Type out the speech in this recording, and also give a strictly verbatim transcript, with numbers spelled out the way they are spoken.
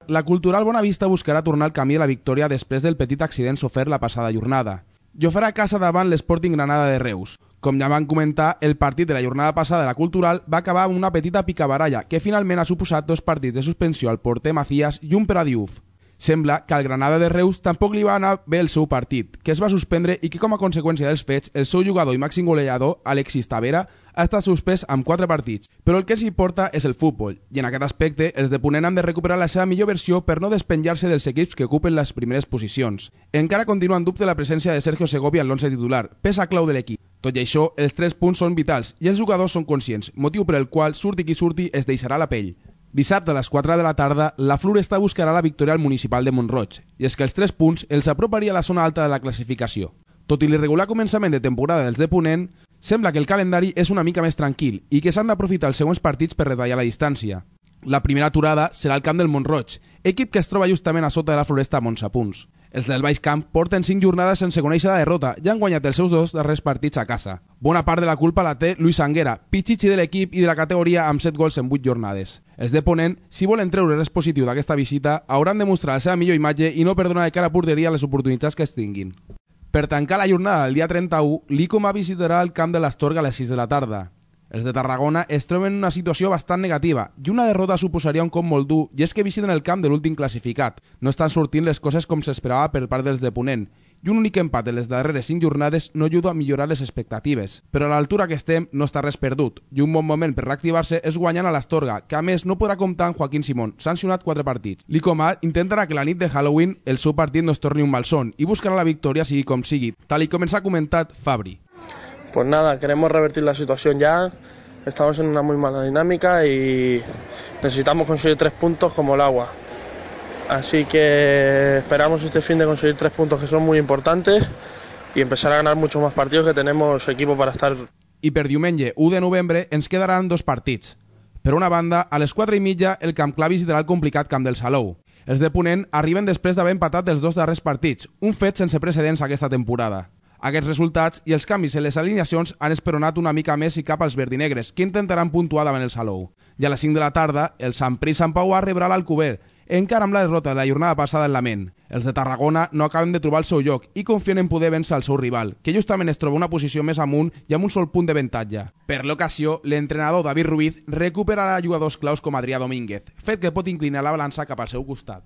La Cultural Bonavista buscarà tornar al camí de la victòria després del petit accident sofert la passada jornada. I ho farà a casa davant l'Sporting Granada de Reus. Com ja van comentar, el partit de la jornada passada de la Cultural va acabar amb una petita picabaralla que finalment ha suposat dos partits de suspensió al porter Macías i un per a Diouf. Sembla que al Granada de Reus tampoc li va anar bé el seu partit, que es va suspendre i que com a conseqüència dels fets, el seu jugador i màxim golejador, Alexis Tavera, ha estat suspès amb quatre partits. Però el que els importa és el futbol, i en aquest aspecte els de Ponent han de recuperar la seva millor versió per no despenjar-se dels equips que ocupen les primeres posicions. Encara continua en dubte la presència de Sergio Segovia en l'onze titular, peça clau de l'equip. Tot i això, els tres punts són vitals i els jugadors són conscients, motiu per el qual surti qui surti es deixarà la pell. Dissabte a les quatre de la tarda, la Floresta buscarà la victòria al municipal de Mont-roig, i és que els tres punts els aproparia a la zona alta de la classificació. Tot i l'irregular començament de temporada dels de Ponent, sembla que el calendari és una mica més tranquil i que s'han d'aprofitar els següents partits per retallar la distància. La primera aturada serà al camp del Mont-roig, equip que es troba justament a sota de la Floresta amb onze punts. Els del Baix Camp porten cinc jornades sense conèixer la derrota i han guanyat els seus dos darrers partits a casa. Bona part de la culpa la té Luis Anguera, pitxitxi de l'equip i de la categoria amb set gols en vuit jornades. Els de Ponent, si volen treure res positiu d'aquesta visita, hauran de mostrar la seva millor imatge i no perdonar de cara a porteria les oportunitats que es tinguin. Per tancar la jornada del dia trenta-u, l'Icoma visitarà el camp de l'Astorga a les sis de la tarda. Els de Tarragona es troben en una situació bastant negativa i una derrota suposaria un cop molt dur i és que visiten el camp de l'últim classificat. No estan sortint les coses com s'esperava per part dels de Ponent i un únic empat en les darreres cinc jornades no ajuda a millorar les expectatives. Però a l'altura que estem no està res perdut i un bon moment per reactivar-se és guanyant a l'Astorga, que a més no podrà comptar amb Joaquín Simón, sancionat quatre partits. L'Icoma intentarà que la nit de Halloween el seu partit no es torni un malson i buscarà la victòria sigui com sigui, tal i com ens ha comentat Fabri. Pues nada, queremos revertir la situación ya. Estamos en una muy mala dinámica y necesitamos conseguir tres puntos como el agua. Así que esperamos este fin de conseguir tres puntos que son muy importantes y empezar a ganar muchos más partidos, que tenemos equipo para estar. I per diumenge, u de novembre, ens quedaran dos partits. Per una banda, a les quatre i mitja, el Camp Clar visitarà el complicat Camp del Salou. Els de Ponent arriben després d'haver empatat els dos darrers partits, un fet sense precedents aquesta temporada. Aquests resultats i els canvis en les alineacions han esperonat una mica més i cap als verdinegres, que intentaran puntuar davant el Salou. I a les cinc de la tarda, el Sant Pris Sant Pau rebrà l'Alcover, encara amb la derrota de la jornada passada en la ment. Els de Tarragona no acaben de trobar el seu lloc i confien en poder vèncer el seu rival, que justament es troba una posició més amunt i amb un sol punt d'avantatge. Per l'ocasió, l'entrenador David Ruiz recuperarà jugadors claus com Adrià Domínguez, fet que pot inclinar la balança cap al seu costat.